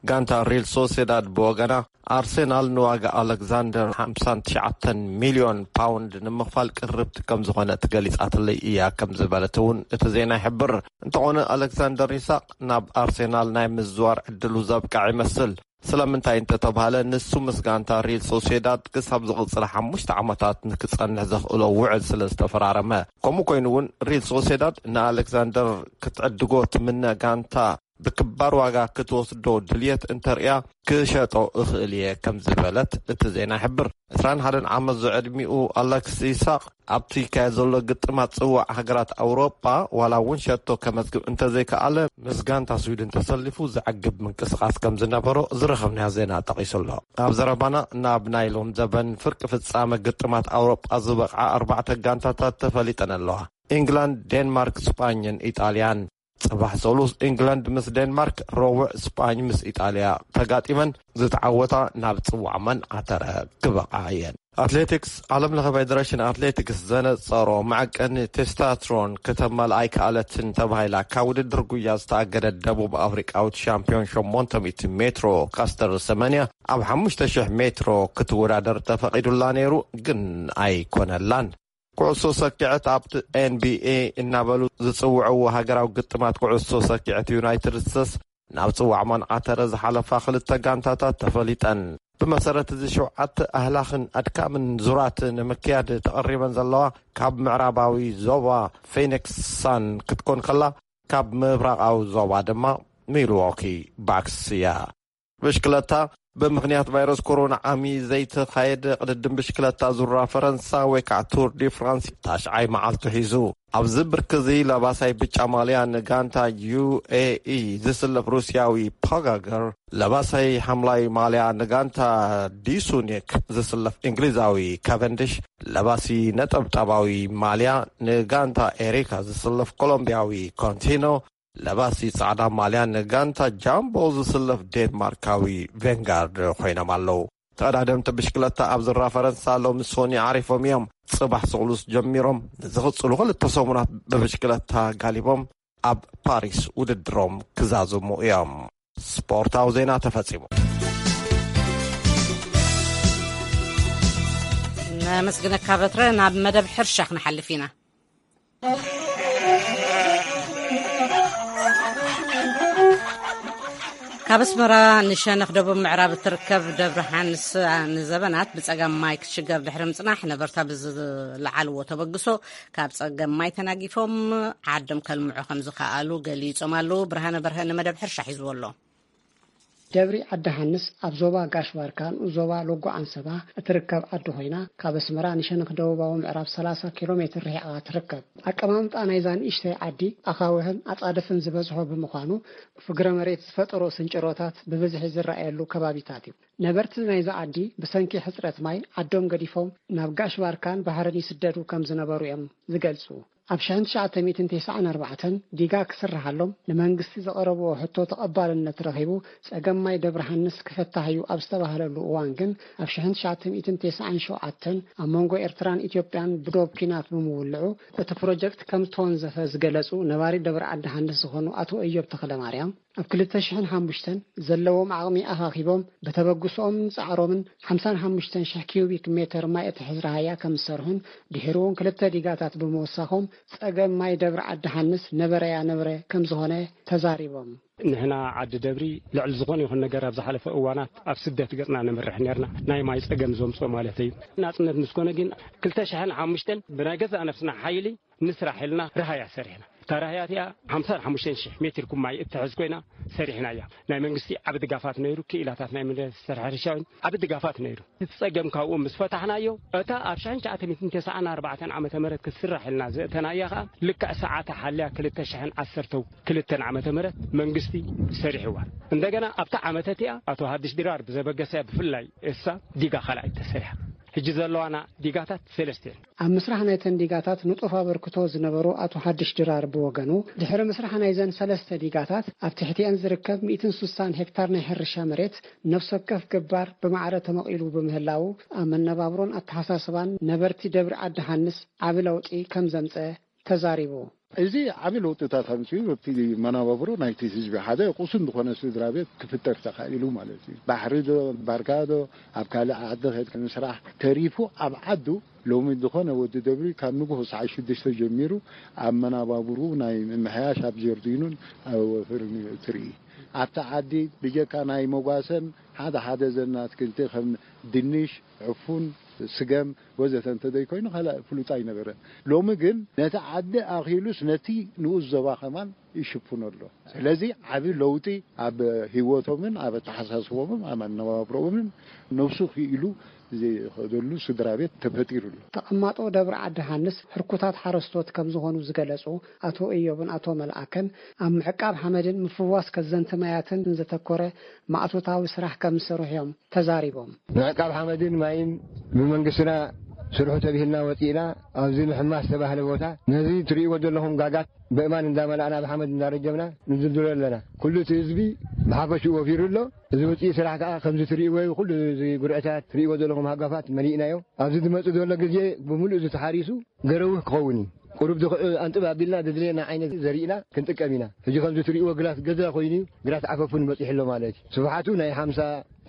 ጋንታ ሪል ሶሴዳድ ብወገና፣ ኣርሴናል ንዋጋ ኣሌክዛንደር ሓምሳን ትሽዓተን ሚልዮን ፓውንድ ንምኽፋል ቅርብቲ ከም ዝኾነት ገሊጻትለይ እያ ከም ዝበለት እውን እቲ ዜና ይሕብር። እንተኾነ ኣሌክዛንደር ኢሳቅ ናብ ኣርሴናል ናይ ምዝዋር ዕድሉ ዘብቅዐ ይመስል። ስለምንታይ እንተተባህለ፣ ንሱ ምስ ጋንታ ሪል ሶሴዳድ ክሳብ ዝቕጽል ሓሙሽተ ዓመታት ንክጸንሕ ዘኽእሎ ውዕል ስለ ዝተፈራረመ። ከምኡ ኮይኑ እውን ሪል ሶሴዳድ ንኣሌክዛንደር ክትዕድጎ ትምነ ጋንታ ብክባር ዋጋ ክትወስዶ ድልየት እንተርእያ ክሸጦ እኽእል እየ ከም ዝበለት እቲ ዜና ይሕብር። ዕስራን ሓደን ዓመት ዝዕድሚኡ ኣሌክስ ኢሳቅ ኣብቲ ይካየድ ዘሎ ግጥማት ጽዋዕ ሃገራት ኣውሮጳ ዋላ እውን ሸቶ ከመዝግብ እንተዘይከኣለ፣ ምስ ጋንታ ስዊድን ተሰሊፉ ዘዕግብ ምንቅስቓስ ከም ዝነበሮ ዝረኸብናዮ ዜና ጠቒሱ ኣሎ። ኣብ ዘረባና ናብ ናይ ሎም ዘበን ፍርቂ ፍጻመ ግጥማት ኣውሮጳ ዝበቕዓ ኣርባዕተ ጋንታታት ተፈሊጠን ኣለዋ። ኢንግላንድ፣ ዴንማርክ፣ ስጳኝን ኢጣልያን። ጽባሕ ሰሉስ ኢንግላንድ ምስ ዴንማርክ፣ ረቡዕ ስጳኝ ምስ ኢጣልያ ተጋጢመን፣ ዝተዓወታ ናብ ጽዋዕ መን ኣተረ ክበቕዓ እየን። ኣትሌቲክስ፣ ዓለም ለኸ ፌደሬሽን ኣትሌቲክስ ዘነጸሮ መዐቀኒ ቴስታትሮን ክተማልኣ ኣይከኣለትን ተባሂላ ካብ ውድድር ጉያ ዝተኣገደት ደቡብ ኣፍሪቃዊት ሻምፒዮን ሸሞንተ ሚእቲ ሜትሮ ካስተር ሰመንያ ኣብ ሓሙሽተ ሽሕ ሜትሮ ክትወዳደር ተፈቒዱላ ነይሩ፣ ግን ኣይኮነላን። ኩዕሶ ሰኪዐት ኣብቲ ኤንቢኤ እናበሉ ዝጽውዕዎ ሃገራዊ ግጥማት ኩዕሶ ሰኪዐት ዩናይትድ ስቴትስ ናብ ጽዋዕ ማንዓተረ ዝሓለፋ ክልተ ጋንታታት ተፈሊጠን። ብመሰረት እዚ ሸውዓተ ኣህላኽን ኣድካምን ዙራት ንምክያድ ተቐሪበን ዘለዋ ካብ ምዕራባዊ ዞባ ፌኒክስ ሳን ክትኮን ከላ፣ ካብ ምብራቓዊ ዞባ ድማ ሚልዎኪ ባክስ እያ። ብሽክለታ፣ ብምኽንያት ቫይረስ ኮሮና ዓሚ ዘይተኻየደ ቅድድም ብሽክለታ ዙራ ፈረንሳ ወይ ከዓ ቱር ዲ ፍራንስ ታሽዓይ መዓልቱ ሒዙ። ኣብዚ ብርኪ እዚ ለባሳይ ብጫ ማልያ ንጋንታ ዩ ኤ ኢ ዝስለፍ ሩስያዊ ፖጋገር፣ ለባሳይ ሓምላይ ማልያ ንጋንታ ዲሱኒክ ዝስለፍ እንግሊዛዊ ካቨንዲሽ፣ ለባሲ ነጠብጣባዊ ማልያ ንጋንታ ኤሪካ ዝስለፍ ኮሎምቢያዊ ኮንቲኖ፣ ለባሲ ጻዕዳ ማልያ ንጋንታ ጃምቦ ዝስለፍ ዴንማርካዊ ቬንጋርድ ኮይኖም ኣለዉ። ተቐዳደምቲ ብሽክለታ ኣብ ዝራ ፈረንሳ ሎሚ ሶኒ ዓሪፎም እዮም። ጽባሕ ስቕሉስ ጀሚሮም ንዝቕጽሉ ክልተ ሰሙናት ብብሽክለታ ጋሊቦም ኣብ ፓሪስ ውድድሮም ክዛዝሙ እዮም። ስፖርታዊ ዜና ተፈጺሙ። ነመስግነካ በትረ። ናብ መደብ ሕርሻ ክንሓልፍ ኢና። ካብ ኣስመራ ንሸነኽ ደቡብ ምዕራብ እትርከብ ደብረ ሓንስ ንዘበናት ብጸገም ማይ ክትሽገር ድሕሪ ምጽናሕ፣ ነበርታ ብዝለዓልዎ ተበግሶ ካብ ጸገም ማይ ተናጊፎም ዓዶም ከልምዑ ከም ዝኸኣሉ ገሊጾም ኣለዉ። ብርሃነ በርሀ ንመደብ ሕርሻ ሒዝዎ ኣሎ። ደብሪ ዓዲ ሃንስ ኣብ ዞባ ጋሽ ባርካ፣ ንኡስ ዞባ ሎጎ ዓንሰባ እትርከብ ዓዲ ኮይና፣ ካብ ኣስመራ ንሸነኽ ደቡባዊ ምዕራብ ሰላሳ ኪሎ ሜትር ርሒቓ ትርከብ። ኣቀማምጣ ናይዛ ንእሽተይ ዓዲ ኣኻውሕን ኣጻድፍን ዝበዝሖ ብምዃኑ፣ ፍግረ መሬት ዝፈጠሮ ስንጭሮታት ብብዝሒ ዝረኣየሉ ከባቢታት እዩ። ነበርቲ ናይዛ ዓዲ ብሰንኪ ሕጽረት ማይ ዓዶም ገዲፎም ናብ ጋሽ ባርካን ባሕርን ይስደዱ ከም ዝነበሩ እዮም ዝገልጹ። ኣብ ሽሕን ትሽዓተ ሚእትን ተስዓን ኣርባዕተን ዲጋ ክስርሓሎም ንመንግስቲ ዘቐረብዎ ሕቶ ተቐባልነት ረኺቡ፣ ጸገም ማይ ደብረ ሃንስ ክፍታሕ እዩ ኣብ ዝተባህለሉ እዋን ግን፣ ኣብ ሽሕን ትሽዓተ ሚእትን ተስዓን ሸውዓተን ኣብ መንጎ ኤርትራን ኢትዮጵያን ብዶብ ኲናት ብምውልዑ፣ እቲ ፕሮጀክት ከም ዝተወንዘፈ ዝገለጹ ነባሪ ደብረ ዓዲ ሃንስ ዝኾኑ ኣቶ እዮብ ተኽለማርያም፣ ኣብ ክልተ ሽሕን ሓሙሽተን ዘለዎም ዓቕሚ ኣኻኺቦም፣ ብተበግሶኦምን ጻዕሮምን ሓምሳን ሓሙሽተን ሽሕ ኪዩቢክ ሜተር ማይ እትሕዝ ረሃያ ከም ዝሰርሑን፣ ድሒሩ እውን ክልተ ዲጋታት ብምውሳኾም፣ ጸገም ማይ ደብረ ዓዲ ሓንስ ነበረያ ነበረ ከም ዝኾነ ተዛሪቦም። ንሕና ዓዲ ደብሪ ልዕሊ ዝኾነ ይኹን ነገር ኣብ ዝሓለፈ እዋናት ኣብ ስደት ገጽና ነምርሕ ነርና፣ ናይ ማይ ጸገም ዘምጽኦ ማለት እዩ። ናጽነት ምስ ኮነ ግን ክልተ ሽሕን ሓሙሽተን ብናይ ገዛእ ነፍስና ሓይሊ ንስራሕ ኢልና ረሃያ ሰሪሕና። እታ ረሃያ እቲኣ ሓምሳን ሓሙሽተን ሽሕ ሜትር ኩብ ማይ እትሕዝ ኮይና ሰሪሕናያ። ናይ መንግስቲ ዓቢ ድጋፋት ነይሩ፣ ክኢላታት ናይ ሚኒስተር ሕርሻ እውን ዓቢ ድጋፋት ነይሩ። እቲ ጸገም ካብኡ ምስ ፈታሕናዮ፣ እታ ኣብ ሽሕን ትሽዓተ ሚእትን ተስዓን ኣርባዕተን ዓመተ ምህረት ክትስራሕ ኢልና ዘእተናያ ከኣ፣ ልክዕ ሰዓታ ሓልያ ክልተ ሽሕን ዓሰርተን ክልተን ዓመተ ምህረት መንግስቲ ሰሪሕዋ። እንደገና ኣብታ ዓመት እቲኣ ኣቶ ሃድሽ ድራር ብዘበገሰያ ብፍላይ እሳ ዲጋ ካልኣይ ተሰሪሓ። ሕጂ ዘለዋና ዲጋታት ሰለስተ እየን። ኣብ ምስራሕ ናይተን ዲጋታት ንጡፍ ኣበርክቶ ዝነበሮ ኣቶ ሓድሽ ድራር ብወገኑ፣ ድሕሪ ምስራሕ ናይዘን ሰለስተ ዲጋታት ኣብ ትሕቲአን ዝርከብ ሚእትን ስሳን ሄክታር ናይ ሕርሻ መሬት ነፍሲ ወከፍ ገባር ብማዕረ ተመቒሉ ብምህላዉ፣ ኣብ መነባብሮን ኣተሓሳስባን ነበርቲ ደብሪ ዓዲ ሃንስ ዓቢ ለውጢ ከም ዘምጸ ተዛሪቡ። እዚ ዓቢ ለውጥታት ኣምጺኡ ኣብቲ መነባብሮ ናይቲ ህዝቢ ሓደ ቁሱን ዝኾነ ስድራ ቤት ክፍጠር ተኻኢሉ ማለት እዩ። ባሕሪ ዶ፣ ባርካ ዶ፣ ኣብ ካልእ ዓዲ ኸይድካ ምስራሕ ተሪፉ ኣብ ዓዱ ሎሚ ዝኾነ ወዲ ደብሪ ካብ ንግሆ ሰዓት ሽዱሽተ ጀሚሩ ኣብ መነባብርኡ ናይ ምምሕያሽ ኣብ ጀርዲኑን ኣብ ወፈርን እዩ እትርኢ። ኣብቲ ዓዲ ብጀካ ናይ መጓሰን ሓደ ሓደ ዘና ኣትክልቲ ከም ድንሽ፣ ዕፉን፣ ስገም ወዘተ እንተዘይኮይኑ ካልእ ፍሉጥ ኣይነበረን። ሎሚ ግን ነቲ ዓዲ ኣኺሉስ ነቲ ንኡስ ዞባ ከማን ይሽፍኖ ኣሎ። ስለዚ ዓቢ ለውጢ ኣብ ህይወቶምን ኣብ ኣተሓሳስቦምን ኣብ ኣነባብሮኦምን ነብሱ ክኢሉ ዝኸደሉ ስድራ ቤት ተፈጢሩ ኣሎ። ተቐማጦ ደብረ ዓዲ ሃንስ ሕርኩታት ሓረስቶት ከም ዝኾኑ ዝገለጹ ኣቶ እዮብን ኣቶ መልኣከን፣ ኣብ ምዕቃብ ሓመድን ምፍዋስ ከዘንቲ ማያትን ዘተኮረ ማእቶታዊ ስራሕ ከም ዝሰርሑ እዮም ተዛሪቦም። ምዕቃብ ሓመድን ማይን ብመንግስትና ስርሑ ተቢሂልና ወፂእና ኣብዚ ምሕማስ ዝተባህለ ቦታ ነዚ ትርእይዎ ዘለኹም ጋጋት በእማን እንዳመላእና ብሓመድ እንዳረጀምና ንድልድሎ ኣለና። ኩሉ እቲ ህዝቢ ብሓፈሽኡ ወፊሩ ኣሎ። እዚ ውፅኢት ስራሕ ከዓ ከምዚ ትርእይዎ እዩ። ኩሉ እዚ ጉርዕታት ትርእይዎ ዘለኹም ሃጓፋት መሊእናዮ። ኣብዚ ዝመፅእ ዘሎ ግዜ ብምሉእ እዚ ተሓሪሱ ገረውህ ክኸውን እዩ። ቁሩብ ድኽ-፣ ኣንጥብ ኣቢልና ዘድልየና ዓይነት ዘሪእና ክንጥቀም ኢና። ሕጂ ከምዚ ትርእይዎ ግራት ገዛ ኮይኑ እዩ፣ ግራት ዓፈፉን በፂሑ ኣሎ ማለት እዩ። ስፍሓቱ ናይ ሓምሳ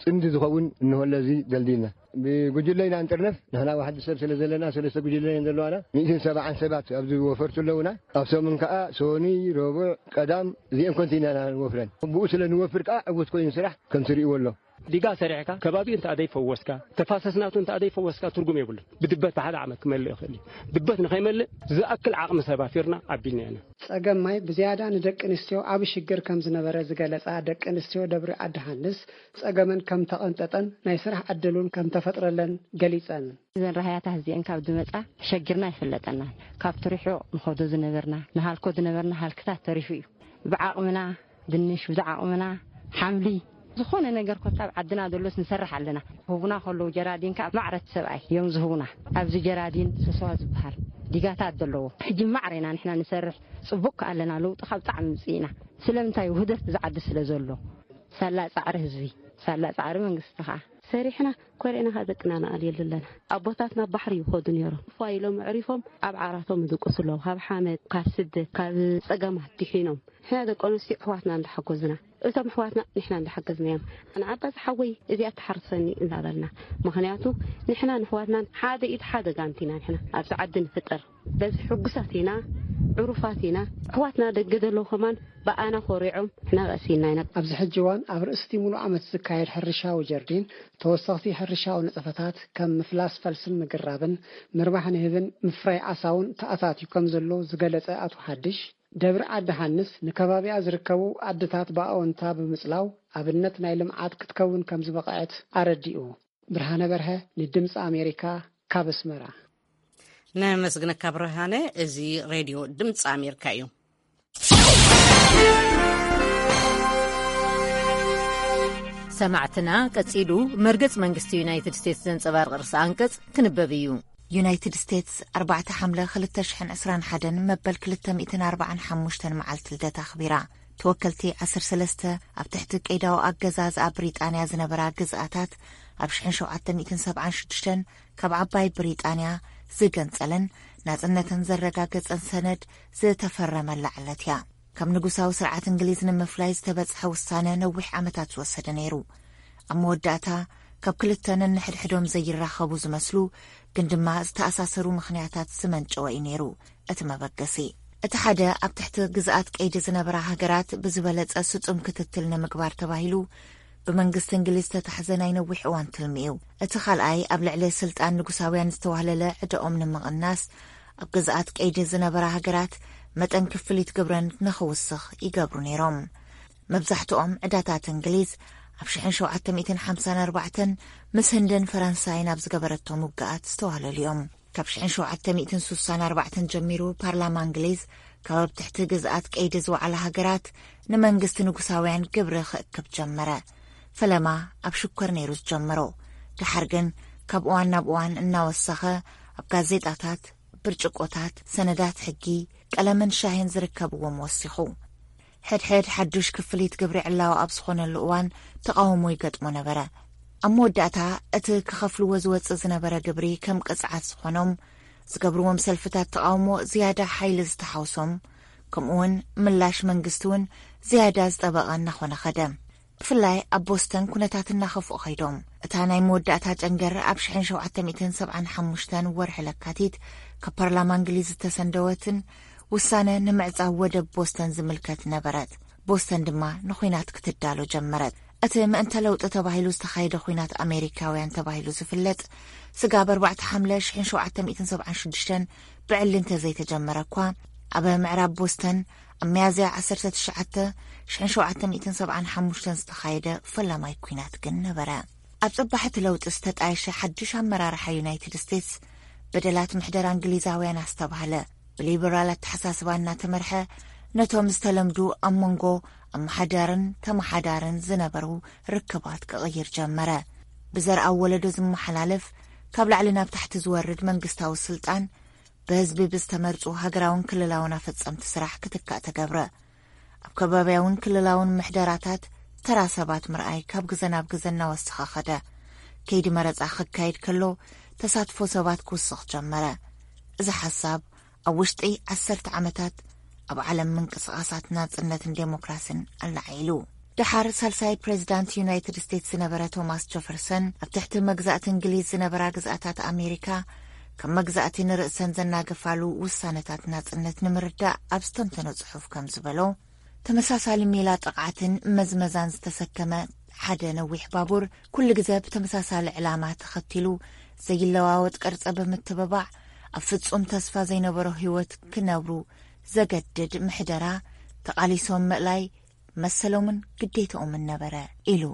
ፅምዲ ዝኸውን እንሆ ኣለዚ ደልዲልና። ብጉጅለ ኢና ንጥርነፍ። ንሕና ዋሕዲ ሰብ ስለ ዘለና፣ ሰለስተ ጉጅለ እየን ዘለዋና። ሚእትን ሰብዓን ሰባት ኣብዚ ወፈርቱ ኣለውና። ኣብ ሰሙን ከኣ ሶኒ፣ ረቡዕ፣ ቀዳም፣ እዚአን ኮንቲና ኢና ንወፍረን። ብኡ ስለ ንወፍር ከኣ ዕውት ኮይኑ ስራሕ ከም ትርእይዎ ኣሎ። ዲጋ ሰሪሕካ ከባቢኡ እንተ ዘይፈወስካ፣ ተፋሰስ ናቱ እንተ ዘይፈወስካ ትርጉም የብሉን። ብድበት ብሓደ ዓመት ክመልእ ይኽእል እዩ። ድበት ንኸይመልእ ዝኣክል ዓቕሚ ሰብ ኣፊርና ኣቢልና ኢና። ጸገም ማይ ብዝያዳ ንደቂ ኣንስትዮ ዓቢ ሽግር ከም ዝነበረ ዝገለጻ ደቂ ኣንስትዮ ደብሪ ዓዲ ሃንስ፣ ጸገመን ከም ተቐንጠጠን ናይ ስራሕ ዕድልን ከም ተፈጥረለን ገሊጸን። እዘን ራህያታት እዚአን ካብ ዝመጻ ተሸጊርና ኣይፈለጠናን። ካብቲ ርሑቕ ንኸዶ ዝነበርና፣ ንሃልኮ ዝነበርና ሃልክታት ተሪፉ እዩ። ብዓቕምና ድንሽ፣ ብዓቕምና ሓምሊ፣ ዝኾነ ነገር ኮታ ኣብ ዓድና ዘሎስ ንሰርሕ ኣለና። ህቡና ከለዉ ጀራዲን ከኣ ማዕረት ሰብኣይ እዮም ዝህቡና። ኣብዚ ጀራዲን ሰሰዋ ዝበሃል ዲጋታት ዘለዎ። ሕጂ ማዕረ ኢና ንሕና ንሰርሕ። ጽቡቅ ከኣ ኣለና፣ ለውጢ ካብ ጣዕሚ ምጽኢና። ስለምንታይ? ውህደት እዚ ዓዲ ስለ ዘሎ። ሳላ ጻዕሪ ህዝቢ፣ ሳላ ጻዕሪ መንግስቲ ከኣ። ሰሪሕና ኮሪዕና ከኣ ደቅና ንኣልየሉ ኣለና። ኣቦታትና ባሕሪ ይኸዱ ነይሮም። ፏ ኢሎም ኣዕሪፎም ኣብ ዓራቶም ይድቅሱ ኣለዉ። ካብ ሓመድ፣ ካብ ስደት፣ ካብ ጸገማት ድሒኖም። ንሕና ደቂ ኣንስትዮ ኣሕዋትና እንዳሓጎዝና፣ እቶም ኣሕዋትና ንሕና እንዳሓገዝናዮም። ንዓባዚ ሓወይ እዚኣ ትሓርሰኒ እንዳበልና። ምኽንያቱ ንሕና ንኣሕዋትናን ሓደ ኢድ ሓደ ጋንት ኢና ንሕና ኣብዚ ዓዲ ንፍጠር። በዚ ሕጉሳት ኢና፣ ዕሩፋት ኢና። ኣሕዋትና ደገ ዘለዉ ከማን ብኣና ኮሪዖም ንሕና ቀሲንና ኢና። ኣብዚ ሕጂ እዋን ኣብ ርእሲ እቲ ሙሉእ ዓመት ዝካየድ ሕርሻዊ ጀርዲን ተወሰኽቲ ሕርሻዊ ንጥፈታት ከም ምፍላስ ፈልስን ምግራብን ምርባሕ ንህብን ምፍራይ ዓሳውን ተኣታትዩ ከም ዘሎ ዝገለጸ ኣቶ ሓድሽ፣ ደብሪ ዓዲ ሃንስ ንከባቢኣ ዝርከቡ ዓድታት ብኣወንታ ብምጽላው ኣብነት ናይ ልምዓት ክትከውን ከም ዝበቕዐት ኣረዲኡ። ብርሃነ በርሀ ንድምፂ ኣሜሪካ ካብ ኣስመራ። ነመስግነካ ብርሃነ። እዚ ሬድዮ ድምፂ ኣሜሪካ እዩ። ሰማዕትና፣ ቀጺሉ መርገጽ መንግስቲ ዩናይትድ ስቴትስ ዘንጸባርቕ ርእሰ ኣንቀጽ ክንበብ እዩ። ዩናይትድ ስቴትስ ኣርባዕተ ሓምለ ክልተ ሽሕን ዕስራን ሓደን መበል ክልተ ሚእትን ኣርባዓን ሓሙሽተን መዓልቲ ልደታ ኣኽቢራ። ተወከልቲ ዓሰርተ ሰለስተ ኣብ ትሕቲ ቀይዳዊ ኣገዛዝኣ ብሪጣንያ ዝነበራ ግዝኣታት ኣብ ሽሕን ሸውዓተ ሚእትን ሰብዓን ሽዱሽተን ካብ ዓባይ ብሪጣንያ ዝገንጸለን ናጽነተን ዘረጋገጸን ሰነድ ዝተፈረመላ ዕለት እያ። ካብ ንጉሳዊ ስርዓት እንግሊዝ ንምፍላይ ዝተበጽሐ ውሳነ ነዊሕ ዓመታት ዝወሰደ ነይሩ። ኣብ መወዳእታ ካብ ክልተ ነንሕድሕዶም ዘይራኸቡ ዝመስሉ ግን ድማ ዝተኣሳሰሩ ምኽንያታት ዝመንጨወ እዩ ነይሩ እቲ መበገሲ። እቲ ሓደ ኣብ ትሕቲ ግዝኣት ቀይዲ ዝነበራ ሃገራት ብዝበለጸ ስጡም ክትትል ንምግባር ተባሂሉ ብመንግስቲ እንግሊዝ ዝተታሕዘ ናይ ነዊሕ እዋን ትልሚ እዩ። እቲ ካልኣይ ኣብ ልዕሊ ስልጣን ንጉሳውያን ዝተዋህለለ ዕደኦም ንምቕናስ ኣብ ግዝኣት ቀይዲ ዝነበራ ሃገራት መጠን ክፍሊት ግብረን ንኽውስኽ ይገብሩ ነይሮም። መብዛሕትኦም ዕዳታት እንግሊዝ ኣብ ሽሕን ሸውዓተ ሚእትን ሓምሳን ኣርባዕተን ምስ ህንድን ፈረንሳይን ኣብ ዝገበረቶም ውግኣት ዝተዋህለሉ እዮም። ካብ ሽሕን ሸውዓተ ሚእትን ሱሳን ኣርባዕተን ጀሚሩ ፓርላማ እንግሊዝ ካብ ኣብ ትሕቲ ግዝኣት ቀይዲ ዝወዓላ ሃገራት ንመንግስቲ ንጉሳውያን ግብሪ ክእክብ ጀመረ። ፈለማ ኣብ ሽኮር ነይሩ ዝጀመሮ። ደሓር ግን ካብ እዋን ናብ እዋን እናወሰኸ ኣብ ጋዜጣታት፣ ብርጭቆታት፣ ሰነዳት ሕጊ፣ ቀለምን ሻሂን ዝርከብዎም ወሲኹ። ሕድሕድ ሓዱሽ ክፍሊት ግብሪ ዕላዊ ኣብ ዝኾነሉ እዋን ተቓውሞ ይገጥሞ ነበረ። ኣብ መወዳእታ እቲ ክኸፍልዎ ዝወጽእ ዝነበረ ግብሪ ከም ቅጽዓት ዝኾኖም፣ ዝገብርዎም ሰልፍታት ተቓውሞ ዝያዳ ሓይሊ ዝተሓውሶም፣ ከምኡውን ምላሽ መንግስቲ እውን ዝያዳ ዝጠበቐ እናኾነ ኸደ። ብፍላይ ኣብ ቦስተን ኩነታት እናኸፍኡ ኸይዶም። እታ ናይ መወዳእታ ጨንገር ኣብ ሽሕን ሸውዓተ ሚእትን ሰብዓን ሓሙሽተን ወርሒ ለካቲት ካብ ፓርላማ እንግሊዝ ዝተሰንደወትን ውሳነ ንምዕጻው ወደብ ቦስተን ዝምልከት ነበረት። ቦስተን ድማ ንኹናት ክትዳሎ ጀመረት። እቲ ምእንተ ለውጢ ተባሂሉ ዝተኻየደ ኹናት ኣሜሪካውያን ተባሂሉ ዝፍለጥ ስጋብ ኣርባዕተ ሓምለ ሽሕን ሸውዓተ ሚእትን ሰብዓን ሽዱሽተን ብዕሊ እንተዘይተጀመረ እኳ፣ ኣብ ምዕራብ ቦስተን ኣብ ሚያዝያ ዓሰርተ ትሽዓተ ሽሕን ሸውዓተ ሚእትን ሰብዓን ሓሙሽተን ዝተኻየደ ፈላማይ ኲናት ግን ነበረ። ኣብ ጽባሕ እቲ ለውጢ ዝተጣየሸ ሓድሽ ኣመራርሓ ዩናይትድ ስቴትስ በደላት ምሕደራ እንግሊዛውያን ኣስተባህለ። ብሊበራል ኣተሓሳስባ እናተመርሐ ነቶም ዝተለምዱ ኣብ መንጎ ኣመሓዳርን ተመሓዳርን ዝነበሩ ርክባት ክቕይር ጀመረ። ብዘርኣዊ ወለዶ ዝመሓላለፍ ካብ ላዕሊ ናብ ታሕቲ ዝወርድ መንግስታዊ ስልጣን ብህዝቢ ብዝተመርጹ ሃገራውን ክልላውን ኣፈጸምቲ ስራሕ ክትካእ ተገብረ። ኣብ ከባብያውን ክልላውን ምሕደራታት ተራ ሰባት ምርኣይ ካብ ግዘ ናብ ግዘ እናወሰኸ ኸደ። ከይዲ መረጻ ክካየድ ከሎ ተሳትፎ ሰባት ክውስኽ ጀመረ። እዚ ሓሳብ ኣብ ውሽጢ ዓሰርተ ዓመታት ኣብ ዓለም ምንቅስቓሳት ናጽነትን ዴሞክራስን ኣለዓዒሉ። ደሓር ሳልሳይ ፕሬዚዳንት ዩናይትድ ስቴትስ ዝነበረ ቶማስ ጀፈርሰን፣ ኣብ ትሕቲ መግዛእቲ እንግሊዝ ዝነበራ ግዝኣታት ኣሜሪካ ከም መግዛእቲ ንርእሰን ዘናገፋሉ ውሳነታት ናጽነት ንምርዳእ ኣብ ዝተንተኖ ጽሑፍ ከም ዝበሎ፣ ተመሳሳሊ ሜላ ጥቕዓትን መዝመዛን ዝተሰከመ ሓደ ነዊሕ ባቡር ኩሉ ግዘ ብተመሳሳሊ ዕላማ ተኸቲሉ ዘይለዋወጥ ቅርጸ ብምትብባዕ ኣብ ፍጹም ተስፋ ዘይነበሮ ህይወት ክነብሩ ዘገድድ ምሕደራ ተቓሊሶም ምእላይ መሰሎምን ግዴታኦምን ነበረ ኢሉ።